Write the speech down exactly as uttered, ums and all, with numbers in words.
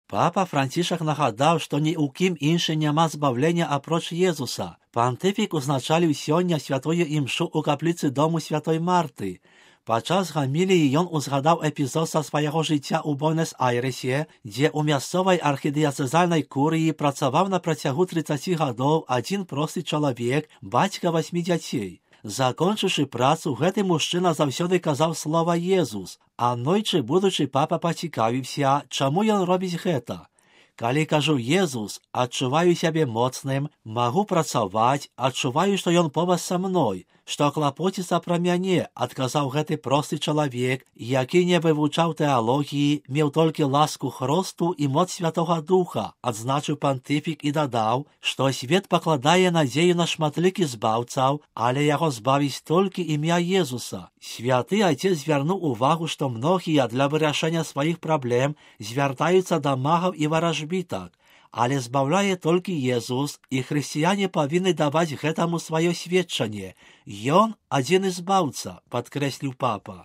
Папа Францішак нагадаў, што ні ў кім іншы няма збавлення апроч Езуса. Пантыфік узначаліў сёння святую імшу ў капліцы дому святой Марты. Падчас гаміліі ён узгадаў эпізод са свайго жыцця ў Буэнос-Айрэсе, дзе ў мясцовай архідыяцэзальнай курыі працаваў на працягу трыццаці гадоў адзін просты чалавек, бацька васьмі дзяцей. Закончыўшы працу, гэты мужчына заўсёды казаў слова «Езус», а нойчы будучы папа пацікавіўся, чаму ён робіць гэта. Калі кажу «Езус», адчуваю сябе моцным, магу працаваць, адчуваю, што ён побач са мной, што клапоціцца пра мяне, адказаў гэты просты чалавек, які не вывучаў тэалогіі, меў толькі ласку Хросту і моц Святога Духа, адзначыў пантыфік і дадаў, што свет пакладае надзею на шматлікіх збаўцаў, але яго збавіць толькі імя Езуса. Святы Айцец звярнуў увагу, што многія для вырашэння сваіх праблем звяртаюцца да магаў і варажбітак, але збаўляе толькі Езус, і хрысціяне павінны даваць гэтаму сваё сведчанне. Ён адзіны збаўца, падкрэсліў папа.